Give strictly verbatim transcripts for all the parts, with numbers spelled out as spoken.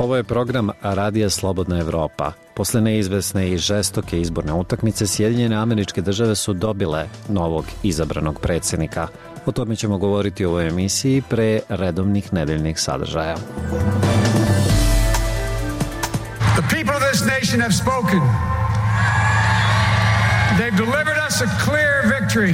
Ovo je program Radija Slobodna Evropa. Posle neizvesne i žestoke izborne utakmice, Sjedinjene Američke Države su dobile novog izabranog predsjednika. O tome ćemo govoriti u ovoj emisiji pre redovnih nedeljnih sadržaja. The people of this nation have spoken. They've delivered us a clear victory.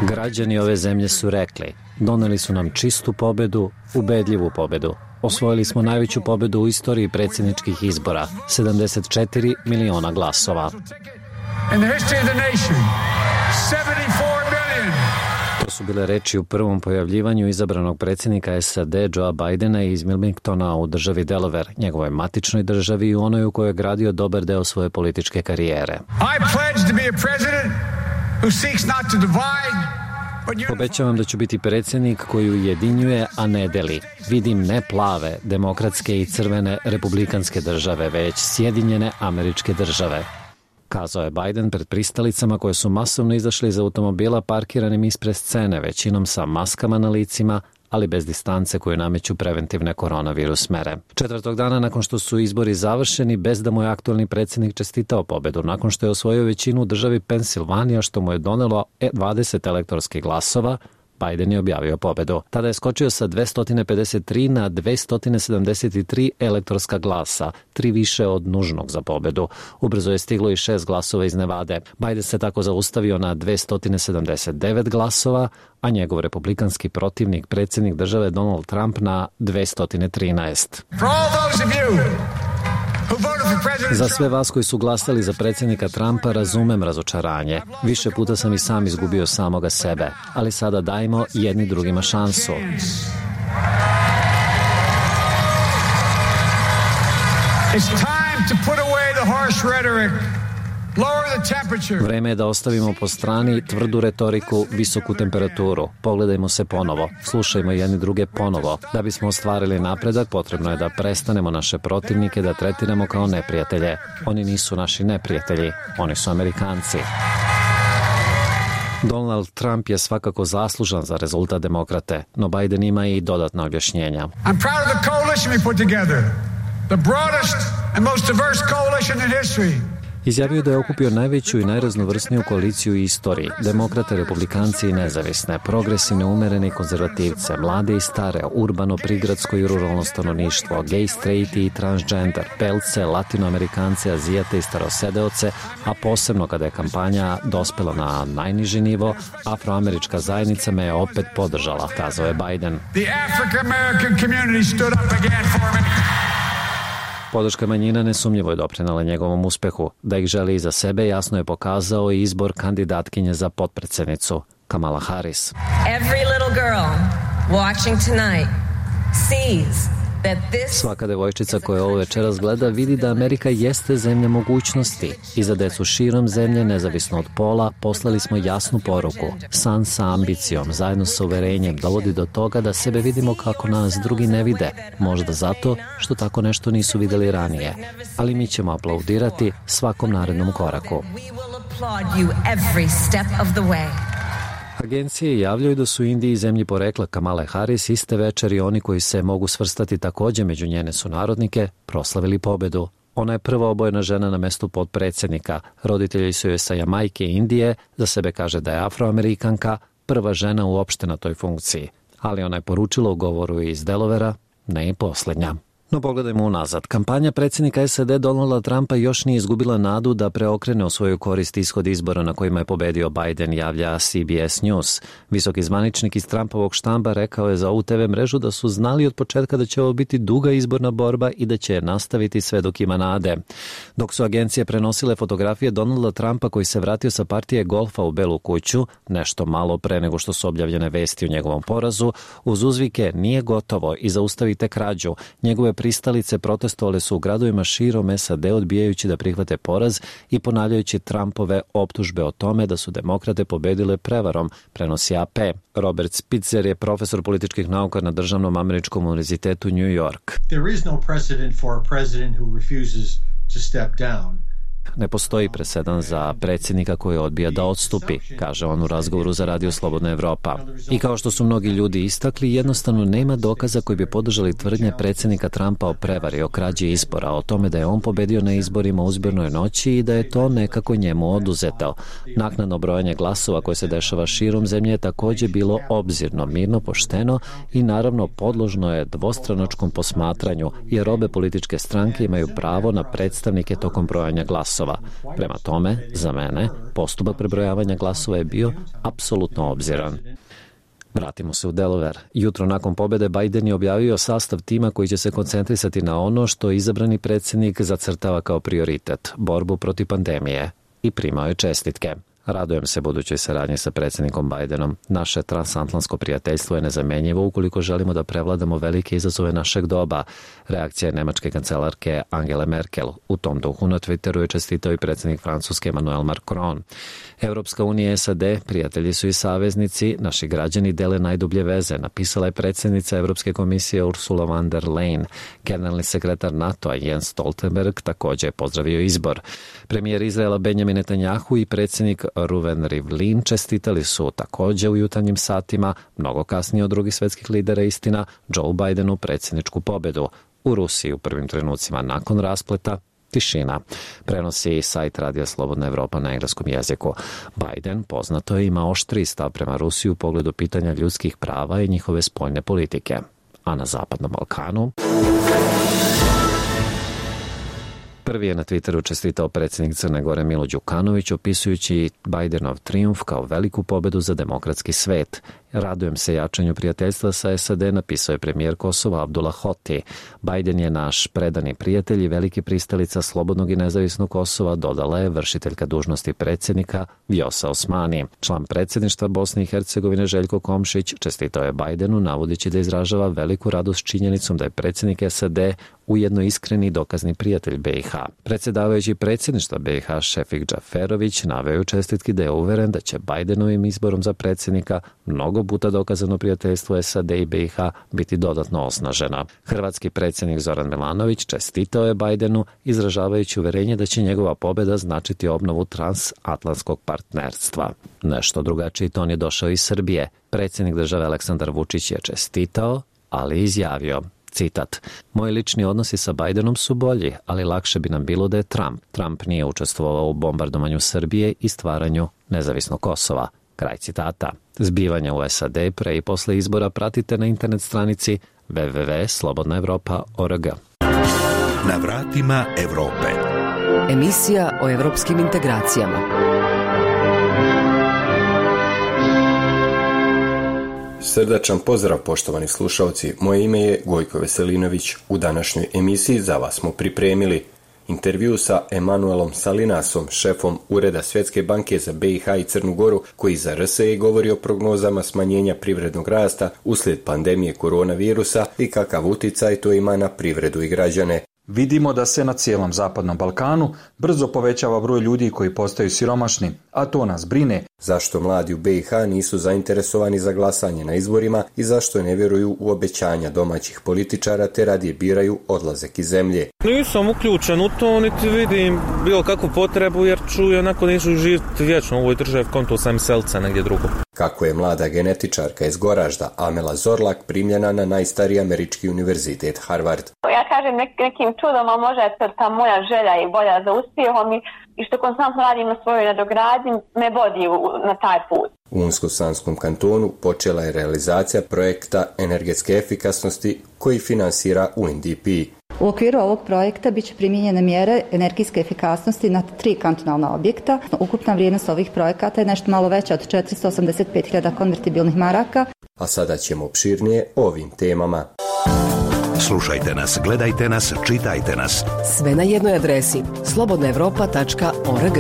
Građani ove zemlje su rekli, doneli su nam čistu pobedu, ubedljivu pobedu. Osvojili smo najveću pobedu u istoriji predsjedničkih izbora, sedamdeset četiri miliona glasova. To su bile reči u prvom pojavljivanju izabranog predsjednika S A D Joea Bidena iz Wilmingtona u državi Delaware, njegovoj matičnoj državi i u onoj u kojoj je gradio dobar deo svoje političke karijere. I pledge to be a president who seeks not to divide. Obećavam da ću biti predsjednik koji ujedinjuje, a ne deli. Vidim ne plave, demokratske i crvene republikanske države, već Sjedinjene Američke Države, kazao je Biden pred pristalicama koje su masovno izašle iz automobila parkiranim ispred scene, većinom sa maskama na licima, ali bez distance koju nameću preventivne koronavirus mere. Četvrtog dana nakon što su izbori završeni, bez da mu je aktualni predsjednik čestitao pobedu, nakon što je osvojio većinu u državi Pensilvanija, što mu je donelo dvadeset elektorskih glasova, Biden je objavio pobedu. Tada je skočio sa dvesta pedeset tri na dvesta sedamdeset tri elektorska glasa, tri više od nužnog za pobedu. Ubrzo je stiglo i šest glasova iz Nevade. Biden se tako zaustavio na dvesta sedamdeset devet glasova, a njegov republikanski protivnik, predsjednik države Donald Trump, na dvesta trinaest. Za sve vas koji su glasali za predsjednika Trumpa razumem razočaranje. Više puta sam i sam izgubio samoga sebe, ali sada dajmo jedni drugima šansu. It's time to put away the harsh rhetoric. Vreme je da ostavimo po strani tvrdu retoriku, visoku temperaturu. Pogledajmo se ponovo, slušajmo jedni druge ponovo. Da bismo ostvarili napredak, potrebno je da prestanemo naše protivnike da tretiramo kao neprijatelje. Oni nisu naši neprijatelji, oni su Amerikanci. Donald Trump je svakako zaslužan za rezultat demokrate, no Biden ima i dodatna objašnjenja. I'm proud of the coalition we put together. The broadest and most diverse coalition in history. Izjavio da je okupio najveću i najraznovrsniju koaliciju u istoriji. Demokrate, republikanci i nezavisne, progresivne, umerene i konzervativce, mlade i stare, urbano, prigradsko i ruralno stanovništvo, gej, straighti i transgender, belce, latinoamerikance, azijate i starosedeoce, a posebno kada je kampanja dospela na najniži nivo, afroamerička zajednica me je opet podržala, kazao je Biden. The African-American community stood up again for me. Podrška manjina nesumnjivo je doprinela njegovom uspehu. Da ih želi iza sebe jasno je pokazao i izbor kandidatkinje za potpredsjednicu, Kamala Harris. Every little girl watching tonight sees that this... Svaka devojčica koja ovo večeras gleda vidi da Amerika jeste zemlja mogućnosti. I za decu širom zemlje, nezavisno od pola, poslali smo jasnu poruku. San sa ambicijom, zajedno sa uverenjem, dovodi do toga da sebe vidimo kako nas drugi ne vide. Možda zato što tako nešto nisu videli ranije. Ali mi ćemo aplaudirati svakom narednom koraku. Agencije javljaju da su u Indiji, zemlji porekla Kamale Harris, iste večeri oni koji se mogu svrstati također među njene sunarodnike, proslavili pobedu. Ona je prva obojena žena na mestu potpredsjednika. Roditelji su joj sa Jamajke i Indije, za sebe kaže da je afroamerikanka, prva žena uopšte na toj funkciji. Ali ona je poručila u govoru iz Delovera, ne i posljednja. No pogledajmo unazad. Kampanja predsjednika S A D Donalda Trumpa još nije izgubila nadu da preokrene u svoju korist ishod izbora na kojima je pobedio Biden, javlja C B S News. Visoki zvaničnik iz Trumpovog štamba rekao je za ovu te ve mrežu da su znali od početka da će ovo biti duga izborna borba i da će nastaviti sve dok ima nade. Dok su agencije prenosile fotografije Donalda Trumpa koji se vratio sa partije golfa u Belu kuću, nešto malo pre nego što su objavljene vesti o njegovom porazu, uz uzvike nije gotovo i zaustavite krađu, njegove pristalice protestovale su u gradovima širom S A D odbijajući da prihvate poraz i ponavljajući Trumpove optužbe o tome da su demokrate pobedile prevarom, prenosi A P. Robert Spitzer je profesor političkih nauka na Državnom američkom univerzitetu New York. There is no precedent for a president who refuses to step down. Ne postoji presedan za predsjednika koji odbija da odstupi, kaže on u razgovoru za Radio Slobodna Evropa. I kao što su mnogi ljudi istakli, jednostavno nema dokaza koji bi podržali tvrdnje predsjednika Trumpa o prevari, o krađi izbora, o tome da je on pobedio na izborima u izbornoj noći i da je to nekako njemu oduzeto. Naknadno brojanje glasova koje se dešava širom zemlje je također bilo obzirno, mirno, pošteno i naravno podložno je dvostranačkom posmatranju, jer obe političke stranke imaju pravo na predstavnike tokom brojanja glasova. Prema tome, za mene, postupak prebrojavanja glasova je bio apsolutno obziran. Vratimo se u Delaware. Jutro nakon pobjede Biden je objavio sastav tima koji će se koncentrisati na ono što izabrani predsjednik zacrtava kao prioritet, borbu protiv pandemije, i primao je čestitke. Radujem se budućoj saradnji sa predsjednikom Bidenom. Naše transatlantsko prijateljstvo je nezamjenjivo ukoliko želimo da prevladamo velike izazove našeg doba. Reakcija je nemačke kancelarke Angele Merkel. U tom duhu na Twitteru je čestitao i predsjednik Francuske Emmanuel Macron. Europska unija i S A D prijatelji su i saveznici, naši građani dele najdublje veze, napisala je predsjednica Europske komisije Ursula von der Leyen. Generalni sekretar NATO-a Jens Stoltenberg također je pozdravio izbor. Premijer Izraela Benjamin Netanjahu i predsjednik Reuven Rivlin čestitali su također u jutarnjim satima, mnogo kasnije od drugih svjetskih lidera, istina, Joe Bidenu predsjedničku pobjedu. U Rusiji u prvim trenucima nakon raspleta tišina. Prenosi sajt Radija Slobodna Evropa na engleskom jeziku. Biden, poznato je, ima oštriji stav prema Rusiji u pogledu pitanja ljudskih prava i njihove spoljne politike. A na Zapadnom Balkanu... Prvi je na Twitteru čestitao predsjednik Crne Gore Milo Đukanović, opisujući Bidenov trijumf kao veliku pobedu za demokratski svet. Radujem se jačanju prijateljstva sa S A D, napisao je premijer Kosova Abdullah Hoti. Biden je naš predani prijatelj i veliki pristalica slobodnog i nezavisnog Kosova, dodala je vršiteljka dužnosti predsjednika Vjosa Osmani. Član predsjedništva Bosne i Hercegovine Željko Komšić čestitao je Bidenu, navodeći da izražava veliku radost činjenicom da je predsjednik S A D ujedno iskreni dokazni prijatelj B i H. Predsjedavajući predsjedništva B i H Šefik Džaferović naveo u čestitki da je uveren da će Bidenovim izborom za predsjednika mnogo puta dokazano prijateljstvo S A D i B i H biti dodatno osnažena. Hrvatski predsjednik Zoran Milanović čestitao je Bidenu, izražavajući uverenje da će njegova pobjeda značiti obnovu transatlantskog partnerstva. Nešto drugačiji ton je došao iz Srbije. Predsjednik države Aleksandar Vučić je čestitao, ali izjavio, citat: moji lični odnosi sa Bidenom su bolji, ali lakše bi nam bilo da je Trump. Trump nije učestvovao u bombardovanju Srbije i stvaranju nezavisnog Kosova. Kraj citata. Zbivanja u S A D pre i posle izbora pratite na internet stranici w w w tačka slobodna evropa tačka org. Na vratima Evrope. Emisija o evropskim integracijama. Srdačan pozdrav, poštovani slušalci. Moje ime je Gojko Veselinović. U današnjoj emisiji za vas smo pripremili intervju sa Emanuelom Salinasom, šefom Ureda Svjetske banke za B i H i Crnu Goru, koji za R S E govori o prognozama smanjenja privrednog rasta uslijed pandemije koronavirusa i kakav uticaj to ima na privredu i građane. Vidimo da se na cijelom Zapadnom Balkanu brzo povećava broj ljudi koji postaju siromašni, a to nas brine. Zašto mladi u B i H nisu zainteresovani za glasanje na izborima i zašto ne vjeruju u obećanja domaćih političara te radije biraju odlazak iz zemlje. Nisam uključen u to, niti vidim bilo kakvu potrebu, jer ću onako neću živjeti vječno u ovoj državi, konto sam selca negdje drugo. Kako je mlada genetičarka iz Goražda Amela Zorlak primljena na najstariji američki univerzitet Harvard. Ja kažem nek, nekim čudom, a možda je to ta moja želja i volja za uspjehom i, i što konstantno radim na svojoj nadogradnji me vodi u, na taj put. U Unsko-Sanskom kantonu počela je realizacija projekta energetske efikasnosti koji finansira U N D P. U okviru ovog projekta bit će primijenjene mjere energijske efikasnosti na tri kantonalna objekta. Ukupna vrijednost ovih projekata je nešto malo veća od četiristo osamdeset pet hiljada konvertibilnih maraka. A sada ćemo opširnije o ovim temama. Slušajte nas, gledajte nas, čitajte nas. Sve na jednoj adresi slobodna evropa tačka org.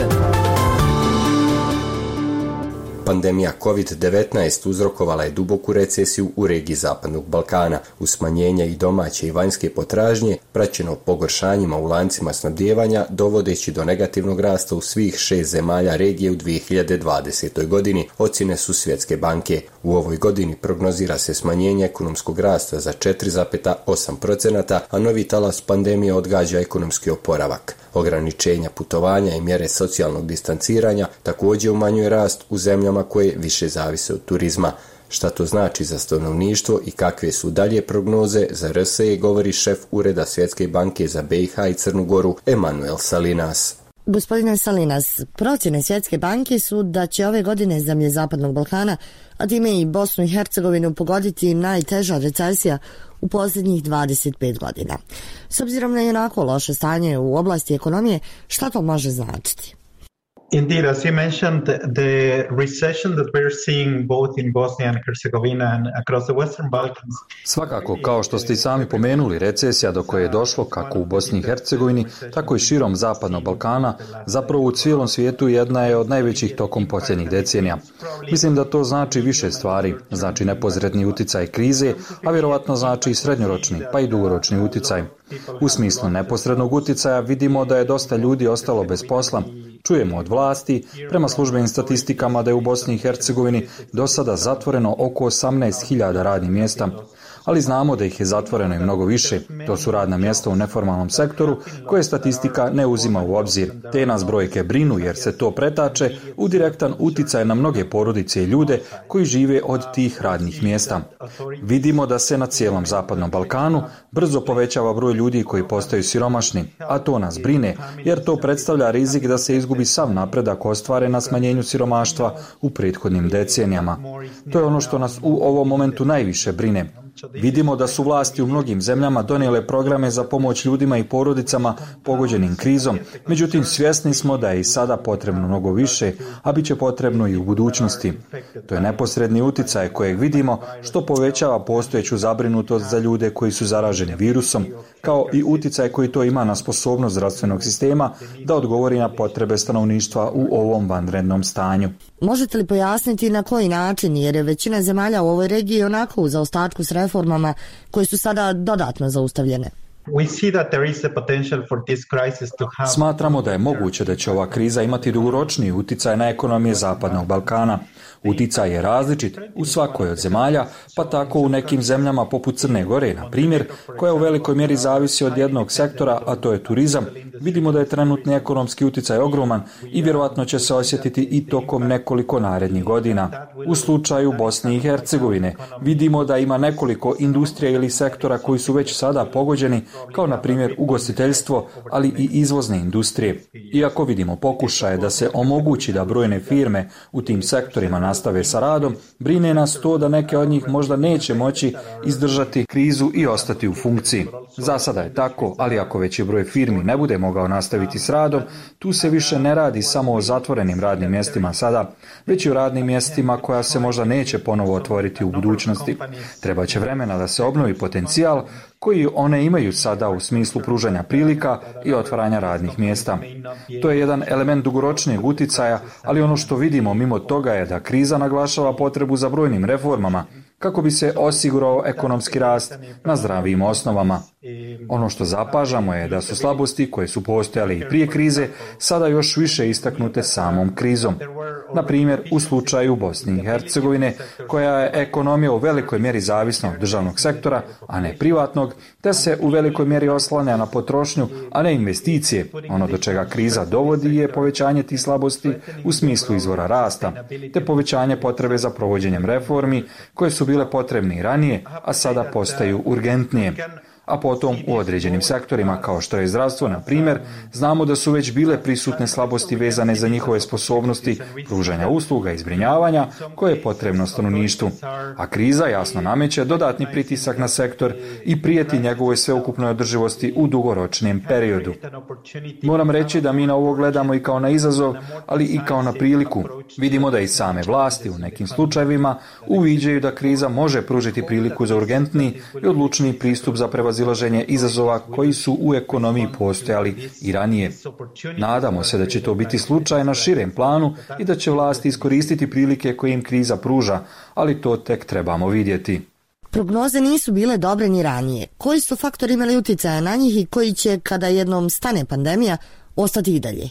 Pandemija kovid devetnaest uzrokovala je duboku recesiju u regiji Zapadnog Balkana, uz smanjenje i domaće i vanjske potražnje, praćeno pogoršanjima u lancima snabdijevanja, dovodeći do negativnog rasta u svih šest zemalja regije u dvije hiljade dvadesetoj godini, ocjene su Svjetske banke. U ovoj godini prognozira se smanjenje ekonomskog rasta za četiri zarez osam posto, a novi talas pandemije odgađa ekonomski oporavak. Ograničenja putovanja i mjere socijalnog distanciranja također umanjuje rast u zemljama koje više zavise od turizma. Šta to znači za stanovništvo i kakve su dalje prognoze za R S E, govori šef Ureda Svjetske banke za B i H i Crnu Goru Emanuel Salinas. Gospodine Salinas, procjene Svjetske banke su da će ove godine zemlje Zapadnog Balkana, a time i Bosnu i Hercegovinu, pogoditi najteža recesija u posljednjih dvadeset pet godina. S obzirom na jednako loše stanje u oblasti ekonomije, šta to može značiti? Indeed, as you mentioned, the recession that we're seeing both in Bosnia and Herzegovina and across the Western Balkans. Svakako, kao što ste i sami pomenuli, recesija do koje je došlo kako u Bosni i Hercegovini, tako i širom Zapadnog Balkana, zapravo u cijelom svijetu jedna je od najvećih tokom posljednjih decenija. Mislim da to znači više stvari, znači neposredni uticaj krize, a vjerovatno znači i srednjoročni, pa i dugoročni uticaj. U smislu neposrednog uticaja vidimo da je dosta ljudi ostalo bez posla. Čujemo od vlasti, prema službenim statistikama, da je u Bosni i Hercegovini do sada zatvoreno oko osamnaest hiljada radnih mjesta, ali znamo da ih je zatvoreno i mnogo više. To su radna mjesta u neformalnom sektoru koje statistika ne uzima u obzir. Te nas brojke brinu jer se to pretače u direktan uticaj na mnoge porodice i ljude koji žive od tih radnih mjesta. Vidimo da se na cijelom Zapadnom Balkanu brzo povećava broj ljudi koji postaju siromašni, a to nas brine jer to predstavlja rizik da se izgubi sav napredak ostvaren na smanjenju siromaštva u prethodnim decenijama. To je ono što nas u ovom momentu najviše brine. Vidimo da su vlasti u mnogim zemljama donijele programe za pomoć ljudima i porodicama pogođenim krizom, međutim svjesni smo da je i sada potrebno mnogo više, a bit će potrebno i u budućnosti. To je neposredni uticaj kojeg vidimo što povećava postojeću zabrinutost za ljude koji su zaraženi virusom, kao i uticaj koji to ima na sposobnost zdravstvenog sistema da odgovori na potrebe stanovništva u ovom vanrednom stanju. Možete li pojasniti na koji način, jer je većina zemalja u ovoj regiji onako u zaostatku s reformama koje su sada dodatno zaustavljene? Smatramo da je moguće da će ova kriza imati dugoročniji uticaj na ekonomije Zapadnog Balkana. Uticaj je različit u svakoj od zemalja, pa tako u nekim zemljama poput Crne Gore, na primjer, koja u velikoj mjeri zavisi od jednog sektora, a to je turizam. Vidimo da je trenutni ekonomski uticaj ogroman i vjerovatno će se osjetiti i tokom nekoliko narednih godina. U slučaju Bosne i Hercegovine vidimo da ima nekoliko industrija ili sektora koji su već sada pogođeni, kao na primjer ugostiteljstvo, ali i izvozne industrije. Iako vidimo pokušaje da se omogući da brojne firme u tim sektorima nastave sa radom, brine nas to da neke od njih možda neće moći izdržati krizu i ostati u funkciji. Za sada je tako, ali ako veći broj firmi ne bude mogao nastaviti s radom, tu se više ne radi samo o zatvorenim radnim mjestima sada, već i o radnim mjestima koja se možda neće ponovo otvoriti u budućnosti. Treba će vremena da se obnovi potencijal koji one imaju sada u smislu pružanja prilika i otvaranja radnih mjesta. To je jedan element dugoročnijeg uticaja, ali ono što vidimo mimo toga je da kriza naglašava potrebu za brojnim reformama kako bi se osigurao ekonomski rast na zdravijim osnovama. Ono što zapažamo je da su slabosti koje su postojale i prije krize sada još više istaknute samom krizom. Na primjer, u slučaju Bosne i Hercegovine, koja je ekonomija u velikoj mjeri zavisna od državnog sektora, a ne privatnog, te se u velikoj mjeri oslanja na potrošnju, a ne investicije. Ono do čega kriza dovodi je povećanje tih slabosti u smislu izvora rasta, te povećanje potrebe za provođenjem reformi koje su bile potrebne i ranije, a sada postaju urgentnije. A potom u određenim sektorima kao što je zdravstvo, na primjer, znamo da su već bile prisutne slabosti vezane za njihove sposobnosti pružanja usluga i zbrinjavanja koje je potrebno stanovništvu. A kriza jasno nameće dodatni pritisak na sektor i prijeti njegovoj sveukupnoj održivosti u dugoročnijem periodu. Moram reći da mi na ovo gledamo i kao na izazov, ali i kao na priliku. Vidimo da i same vlasti u nekim slučajevima uviđaju da kriza može pružiti priliku za urgentni i odlučniji pristup za prevazilaženje izazova koji su u ekonomiji postojali i ranije. Nadamo se da će to biti slučaj na širem planu i da će vlasti iskoristiti prilike koje im kriza pruža, ali to tek trebamo vidjeti. Prognoze nisu bile dobre ni ranije. Koji su faktori imali utjecaja na njih i koji će, kada jednom stane pandemija, ostati i dalje?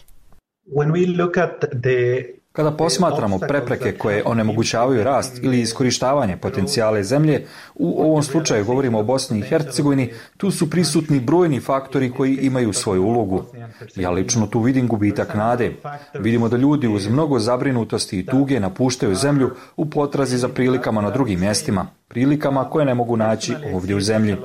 When we look at the Kada posmatramo prepreke koje onemogućavaju rast ili iskorištavanje potencijale zemlje, u ovom slučaju govorimo o Bosni i Hercegovini, tu su prisutni brojni faktori koji imaju svoju ulogu. Ja lično tu vidim gubitak nade. Vidimo da ljudi uz mnogo zabrinutosti i tuge napuštaju zemlju u potrazi za prilikama na drugim mjestima, prilikama koje ne mogu naći ovdje u zemlji.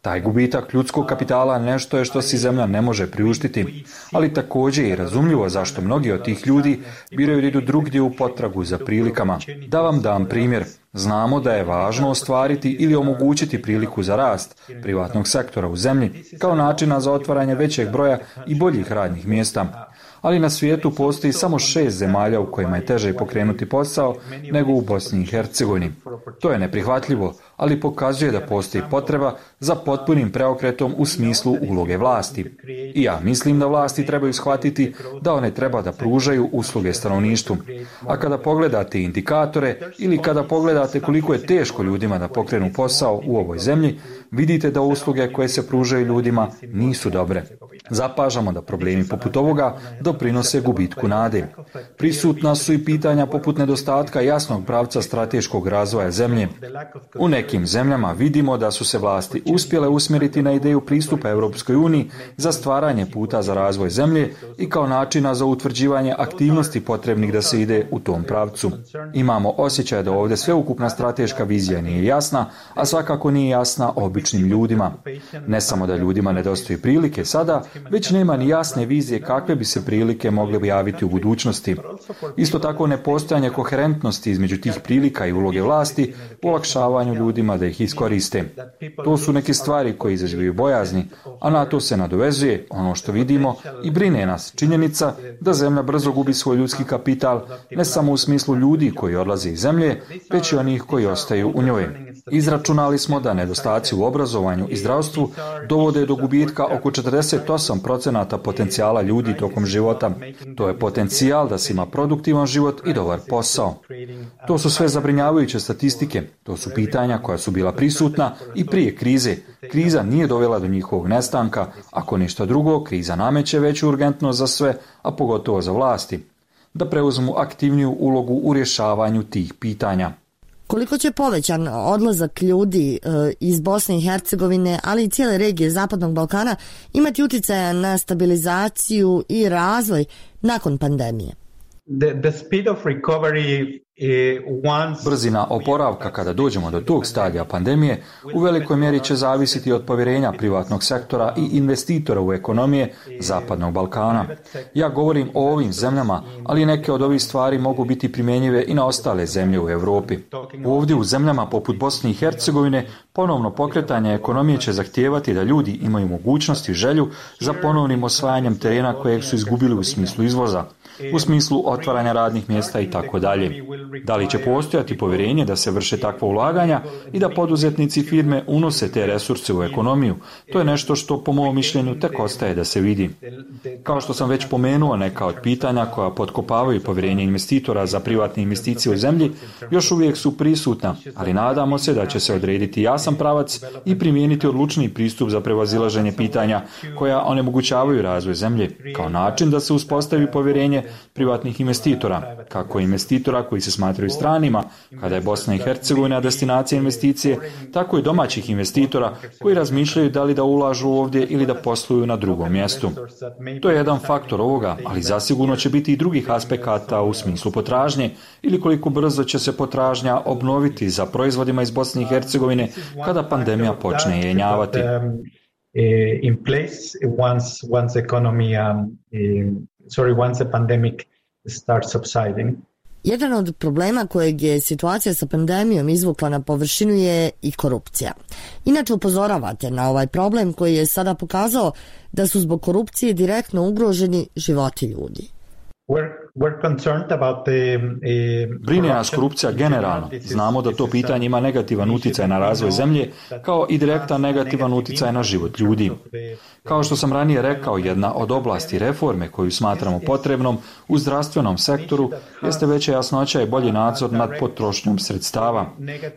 Taj gubitak ljudskog kapitala nešto je što si zemlja ne može priuštiti, ali također je i razumljivo zašto mnogi od tih ljudi biraju da idu drugdje u potragu za prilikama. Da vam dam primjer. Znamo da je važno ostvariti ili omogućiti priliku za rast privatnog sektora u zemlji kao načina za otvaranje većeg broja i boljih radnih mjesta. Ali na svijetu postoji samo šest zemalja u kojima je teže pokrenuti posao nego u Bosni i Hercegovini. To je neprihvatljivo, ali pokazuje da postoji potreba za potpunim preokretom u smislu uloge vlasti. I ja mislim da vlasti trebaju shvatiti da one treba da pružaju usluge stanovništvu. A kada pogledate indikatore ili kada pogledate koliko je teško ljudima da pokrenu posao u ovoj zemlji, vidite da usluge koje se pružaju ljudima nisu dobre. Zapažamo da problemi poput ovoga doprinose gubitku nade. Prisutna su i pitanja poput nedostatka jasnog pravca strateškog razvoja zemlje. U nekim zemljama vidimo da su se vlasti uspjele usmjeriti na ideju pristupa Europskoj uniji za stvaranje puta za razvoj zemlje i kao načina za utvrđivanje aktivnosti potrebnih da se ide u tom pravcu. Imamo osjećaj da ovdje sveukupna strateška vizija nije jasna, a svakako nije jasna običnim ljudima. Ne samo da ljudima nedostaju prilike sada, već nema ni jasne vizije kakve bi se prilike mogle javiti u budućnosti. Isto tako nepostojanje koherentnosti između tih prilika i uloge vlasti u olakšavanju ljudima da ih iskoriste. To su neke stvari koje izazivaju bojazni, a na to se nadovezuje ono što vidimo i brine nas činjenica da zemlja brzo gubi svoj ljudski kapital, ne samo u smislu ljudi koji odlaze iz zemlje, već i onih koji ostaju u njoj. Izračunali smo da nedostaci u obrazovanju i zdravstvu dovode do gubitka oko četrdeset osam procenata potencijala ljudi tokom života. To je potencijal da se ima produktivan život i dobar posao. To su sve zabrinjavajuće statistike. To su pitanja koja su bila prisutna i prije krize. Kriza nije dovela do njihovog nestanka. Ako ništa drugo, kriza nameće veću urgentnost za sve, a pogotovo za vlasti, da preuzmu aktivniju ulogu u rješavanju tih pitanja. Koliko će povećan odlazak ljudi e, iz Bosne i Hercegovine, ali i cijele regije Zapadnog Balkana imati utjecaja na stabilizaciju i razvoj nakon pandemije? The, the speed of recovery Brzina oporavka kada dođemo do tog stadija pandemije u velikoj mjeri će zavisiti od povjerenja privatnog sektora i investitora u ekonomije Zapadnog Balkana. Ja govorim o ovim zemljama, ali neke od ovih stvari mogu biti primjenjive i na ostale zemlje u Europi. Ovdje u zemljama poput Bosne i Hercegovine ponovno pokretanje ekonomije će zahtijevati da ljudi imaju mogućnost i želju za ponovnim osvajanjem terena kojeg su izgubili u smislu izvoza, u smislu otvaranja radnih mjesta i tako dalje. Da li će postojati povjerenje da se vrše takva ulaganja i da poduzetnici firme unose te resurse u ekonomiju? To je nešto što po mom mišljenju tek ostaje da se vidi. Kao što sam već pomenuo, neka od pitanja koja potkopavaju povjerenje investitora za privatne investicije u zemlji još uvijek su prisutna, ali nadamo se da će se odrediti jasan pravac i primijeniti odlučniji pristup za prevazilaženje pitanja koja onemogućavaju razvoj zemlje, kao način da se uspostavi povjerenje privatnih investitora, kako investitora koji se smatraju stranima, kada je Bosna i Hercegovina destinacija investicije, tako i domaćih investitora koji razmišljaju da li da ulažu ovdje ili da posluju na drugom mjestu. To je jedan faktor ovoga, ali zasigurno će biti i drugih aspekata u smislu potražnje ili koliko brzo će se potražnja obnoviti za proizvodima iz Bosne i Hercegovine kada pandemija počne jenjavati. In place once once economy um, sorry once the pandemic starts subsiding. Jedan od problema kojeg je situacija sa pandemijom izvukla na površinu je i korupcija. Inače upozoravate na ovaj problem koji je sada pokazao da su zbog korupcije direktno ugroženi životi ljudi. Brine nas korupcija generalno. Znamo da to pitanje ima negativan utjecaj na razvoj zemlje, kao i direktan negativan utjecaj na život ljudi. Kao što sam ranije rekao, jedna od oblasti reforme koju smatramo potrebnom u zdravstvenom sektoru jeste veća jasnoća i bolji nadzor nad potrošnjom sredstava.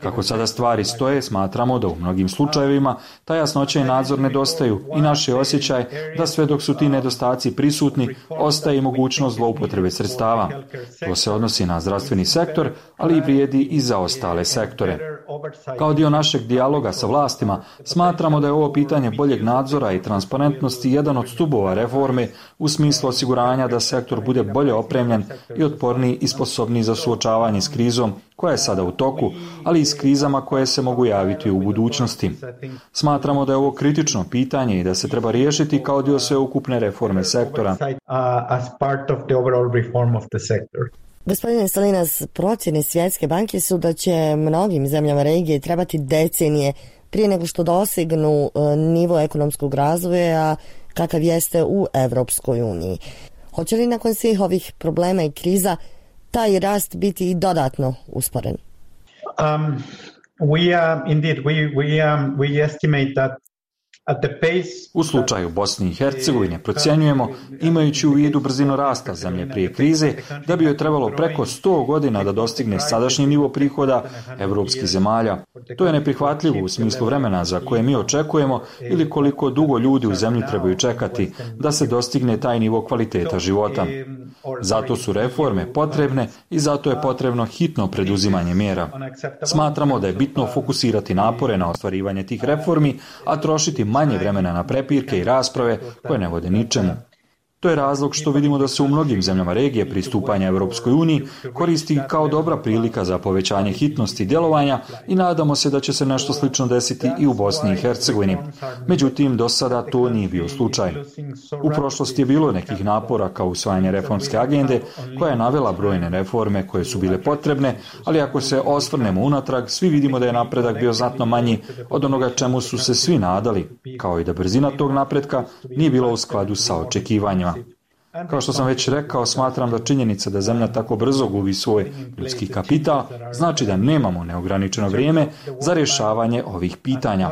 Kako sada stvari stoje, smatramo da u mnogim slučajevima ta jasnoća i nadzor nedostaju i naš je osjećaj da sve dok su ti nedostaci prisutni, ostaje i mogućnost zloupotrebe sredstava sredstava. To se odnosi na zdravstveni sektor, ali i vrijedi i za ostale sektore. Kao dio našeg dijaloga sa vlastima, smatramo da je ovo pitanje boljeg nadzora i transparentnosti jedan od stubova reforme u smislu osiguranja da sektor bude bolje opremljen i otporniji i sposobniji za suočavanje s krizom koja je sada u toku, ali i s krizama koje se mogu javiti u budućnosti. Smatramo da je ovo kritično pitanje i da se treba riješiti kao dio sveukupne reforme sektora. Gospodine Salinas, procjene Svjetske banke su da će mnogim zemljama regije trebati decenije prije nego što dosegnu nivo ekonomskog razvoja kakav jeste u Evropskoj uniji. Hoće li nakon svih ovih problema i kriza taj rast biti i dodatno usporen? Um, we, uh, indeed, we, we, um, we estimate that U slučaju Bosne i Hercegovine procjenjujemo, imajući u vidu brzinu rasta zemlje prije krize, da bi joj trebalo preko sto godina da dostigne sadašnji nivo prihoda evropskih zemalja. To je neprihvatljivo u smislu vremena za koje mi očekujemo ili koliko dugo ljudi u zemlji trebaju čekati da se dostigne taj nivo kvaliteta života. Zato su reforme potrebne i zato je potrebno hitno preduzimanje mjera. Smatramo da je bitno fokusirati napore na ostvarivanje tih reformi, a trošiti manje vremena na prepirke i rasprave koje ne vode ničemu. To je razlog što vidimo da se u mnogim zemljama regije pristupanja Europskoj uniji koristi kao dobra prilika za povećanje hitnosti djelovanja i nadamo se da će se nešto slično desiti i u Bosni i Hercegovini. Međutim, do sada to nije bio slučaj. U prošlosti je bilo nekih napora kao usvajanje reformske agende koja je navela brojne reforme koje su bile potrebne, ali ako se osvrnemo unatrag, svi vidimo da je napredak bio znatno manji od onoga čemu su se svi nadali, kao i da brzina tog napretka nije bila u skladu sa očekivanjima. Kao što sam već rekao, smatram da činjenica da zemlja tako brzo gubi svoj ljudski kapital znači da nemamo neograničeno vrijeme za rješavanje ovih pitanja.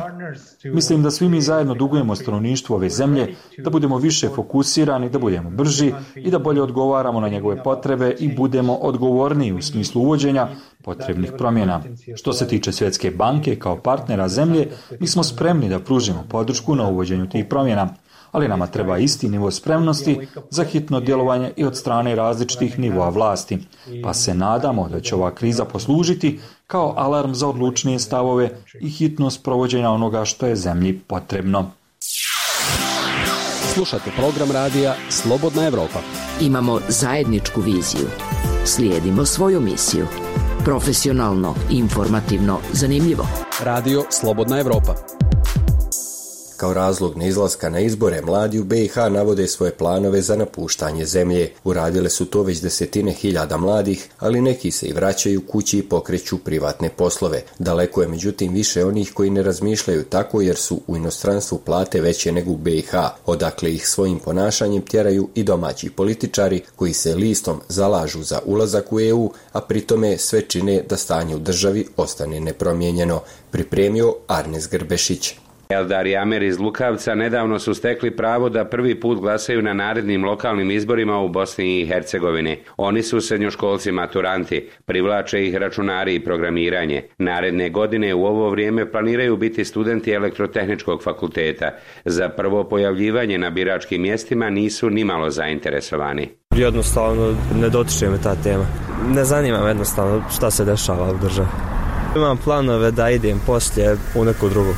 Mislim da svi mi zajedno dugujemo stanovništvu ove zemlje da budemo više fokusirani, da budemo brži i da bolje odgovaramo na njegove potrebe i budemo odgovorniji u smislu uvođenja potrebnih promjena. Što se tiče Svjetske banke kao partnera zemlje, mi smo spremni da pružimo podršku na uvođenju tih promjena, ali nama treba isti nivo spremnosti za hitno djelovanje i od strane različitih nivoa vlasti, pa se nadamo da će ova kriza poslužiti kao alarm za odlučnije stavove i hitnost provođenja onoga što je zemlji potrebno. Slušate program radija Slobodna Evropa. Imamo zajedničku viziju. Slijedimo svoju misiju. Profesionalno, informativno, zanimljivo. Radio Slobodna Evropa. Kao razlog neizlaska na izbore, mladi u be i ha navode svoje planove za napuštanje zemlje. Uradile su to već desetine hiljada mladih, ali neki se i vraćaju kući i pokreću privatne poslove. Daleko je međutim više onih koji ne razmišljaju tako jer su u inostranstvu plate veće nego u be i ha, odakle ih svojim ponašanjem tjeraju i domaći političari koji se listom zalažu za ulazak u e u, a pritome sve čine da stanje u državi ostane nepromijenjeno. Pripremio Arnes Grbešić. Eldar i Amer iz Lukavca nedavno su stekli pravo da prvi put glasaju na narednim lokalnim izborima u Bosni i Hercegovini. Oni su srednjoškolci maturanti, privlače ih računari i programiranje. Naredne godine u ovo vrijeme planiraju biti studenti elektrotehničkog fakulteta. Za prvo pojavljivanje na biračkim mjestima nisu nimalo zainteresovani. Jednostavno ne dotiče me ta tema. Ne zanima me jednostavno šta se dešava u državi. Imam planove da idem poslije u neku drugu.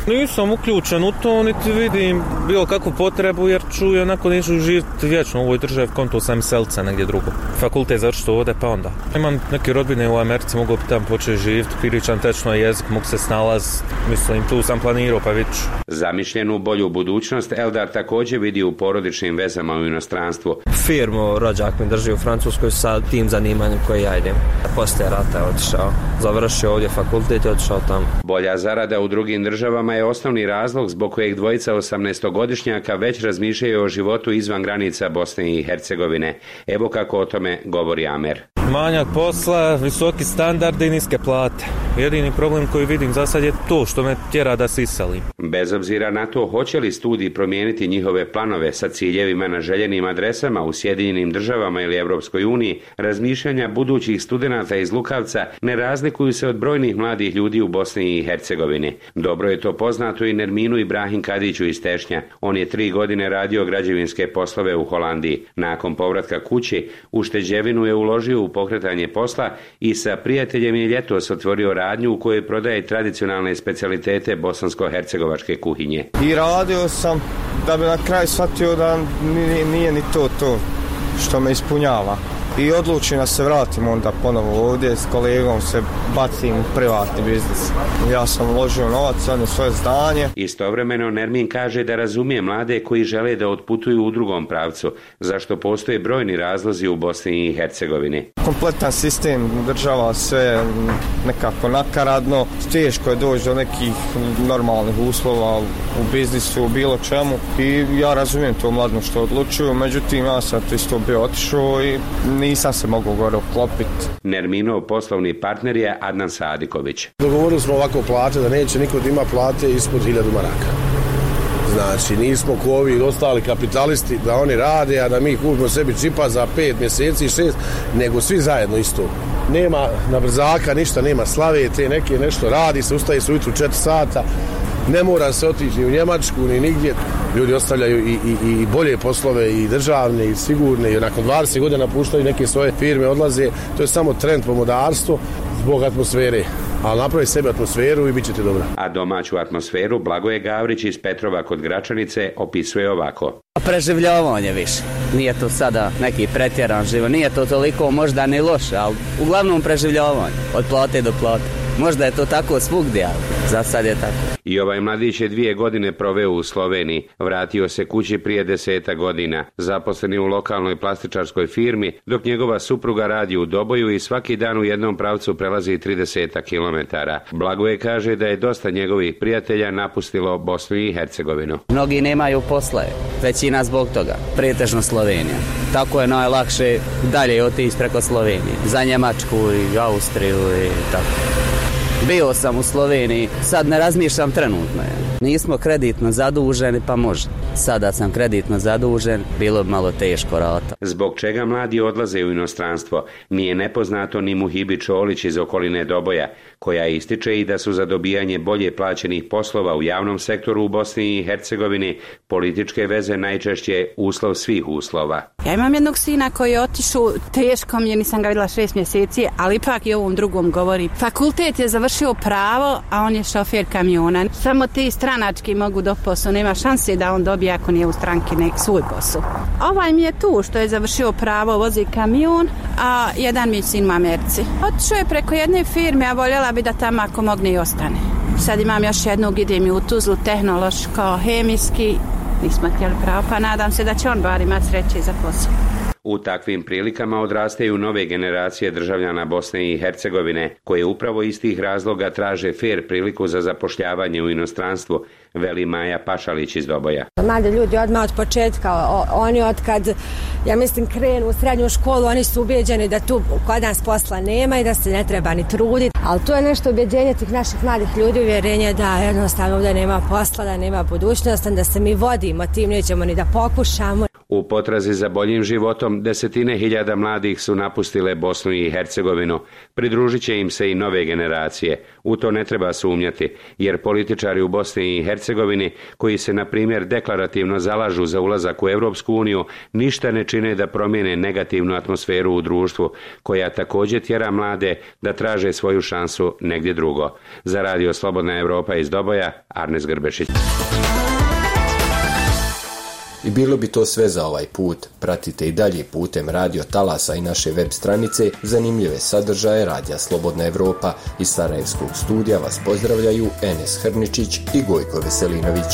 Nisam uključen u to, niti vidim bilo kakvu potrebu, jer ću onako neću živjeti vječno u ovoj državi, konto sam selca negdje drugo. Fakultet završiti ovdje, pa onda. Imam neke rodbine u Americi, mogu bi tamo početi živjeti, pričam tečno jezik, mogu se snalaziti, mislim, tu sam planirao, pa vidit ću. Zamišljenu bolju budućnost Eldar također vidi u porodičnim vezama u inostranstvu. Firmu rođak mi drži u Francuskoj sa tim zanimanjem koje ja idem. Poslije rata je otišao, završio ovdje fakultet i otišao tamo. Bolja zarada u drugim državama je osnovni razlog zbog kojeg dvojica osamnaestogodišnjaka već razmišljaju o životu izvan granica Bosne i Hercegovine. Evo kako o tome govori Amer. Manjak posla, visoki standardi i niske plate. Jedini problem koji vidim za sad je to što me tjera da se iselim. Bez obzira na to hoće li studij promijeniti njihove planove sa ciljevima na željenim adresama u Sjedinjenim državama ili Europskoj uniji, razmišljanja budućih studenata iz Lukavca ne razlikuju se od brojnih mladih ljudi u Bosni i Hercegovini. Dobro je to poznato i Nerminu Ibrahim Kadiću iz Tešnja. On je tri godine radio građevinske poslove u Holandiji. Nakon povratka kući, ušteđevinu je uložio u pokretanje posla i sa prijateljem je ljetos otvorio radnju u kojoj prodaje tradicionalne specijalitete bosansko-hercegovačke kuhinje. I radio sam da bi na kraju shvatio da nije, nije ni to to što me ispunjava. I odlučim da se vratim onda ponovo ovdje, s kolegom se bacim u privatni biznis. Ja sam uložio novac u svoje zdanje. Istovremeno Nermin kaže da razumije mlade koji žele da otputuju u drugom pravcu, zašto postoje brojni razlozi u Bosni i Hercegovini. Kompletan sistem država sve nekako nakaradno, teško je doći do nekih normalnih uslova u biznisu, u bilo čemu. I ja razumijem to mladno što odlučuju, međutim ja sam to isto bio otišao i nisam se mogao gore uklopiti. Nerminov poslovni partner je Adnan Sadiković. Dogovorili smo ovako plate da neće niko da ima plate ispod hiljadu maraka. Znači nismo ko ovi ostali kapitalisti da oni rade, a da mi kupimo sebi čipa za pet mjeseci, šest, nego svi zajedno isto. Nema na brzaka, ništa, nema slave, te neke nešto radi se, ustaje se ujutru četiri sata, ne mora se otići ni u Njemačku, ni nigdje. Ljudi ostavljaju i, i, i bolje poslove, i državne, i sigurne, i nakon dvadeset godina napuštaju neke svoje firme, odlaze. To je samo trend pomodarstvo zbog atmosfere. Ali napravi sebi atmosferu i bit će ti dobro. A domaću atmosferu Blagoje Gavrić iz Petrova kod Gračanice opisuje ovako. Preživljavanje više. Nije to sada neki pretjeran život, nije to toliko možda ni loše, ali uglavnom preživljavanje od plate do plate. Možda je to tako svugdje, ali za sad je tako. I ovaj mladić je dvije godine proveo u Sloveniji. Vratio se kući prije deseta godina. Zaposleni u lokalnoj plastičarskoj firmi, dok njegova supruga radi u Doboju i svaki dan u jednom pravcu prelazi trideset kilometara. Blagoje kaže da je dosta njegovih prijatelja napustilo Bosnu i Hercegovinu. Mnogi nemaju posla, većina zbog toga, pretežno Slovenija. Tako je najlakše dalje otići preko Slovenije, za Njemačku i Austriju i tako. Bio sam u Sloveniji, sad ne razmišljam trenutno. Nismo kreditno zaduženi, pa može. Sada sam kreditno zadužen, bilo bi malo teško rata. Zbog čega mladi odlaze u inostranstvo, nije nepoznato ni Muhibi Čolić iz okoline Doboja, koja ističe i da su za dobijanje bolje plaćenih poslova u javnom sektoru u Bosni i Hercegovini političke veze najčešće uslov svih uslova. Ja imam jednog sina koji je otišao, teško mi je, nisam ga vidjela šest mjeseci, ali ipak i ovom drugom govori. Fakultet je završio pravo, a on je šofer kamiona. Samo ti stranački mogu do posla, nema šanse da on dobije ako nije u stranki nek svoj posao. Ovaj mi je tu što je završio pravo, vozi kamion, a jedan mi je sin u Americi. Otišao je preko jedne firme, a voljela bi da tamo ako mogne i ostane. Sad imam još jednog, idem i u Tuzlu, tehnološko, hemijski, nismo htjeli pravo, pa nadam se da će on bar imati sreće za posao. U takvim prilikama odrastaju nove generacije državljana Bosne i Hercegovine, koje upravo iz tih razloga traže fer priliku za zapošljavanje u inostranstvu, veli Maja Pašalić iz Doboja. Mladi ljudi odmah od početka, oni od kad, ja mislim, krenu u srednju školu, oni su ubijeđeni da tu kod nas posla nema i da se ne treba ni truditi. Ali to je nešto ubjeđenje tih naših mladih ljudi, uvjerenje da jednostavno ovdje nema posla, da nema budućnosti, da se mi vodimo tim, nećemo ni da pokušamo. U potrazi za boljim životom desetine hiljada mladih su napustile Bosnu i Hercegovinu. Pridružit će im se i nove generacije. U to ne treba sumnjati, jer političari u Bosni i Hercegovini, koji se na primjer deklarativno zalažu za ulazak u Europsku uniju, ništa ne čine da promijene negativnu atmosferu u društvu, koja također tjera mlade da traže svoju šansu negdje drugo. Za Radio Slobodna Evropa iz Doboja, Arnes Grbešić. I bilo bi to sve za ovaj put. Pratite i dalje putem Radio Talasa i naše web stranice zanimljive sadržaje Radija Slobodna Evropa. Iz Sarajevskog studija vas pozdravljaju Enes Hrničić i Gojko Veselinović.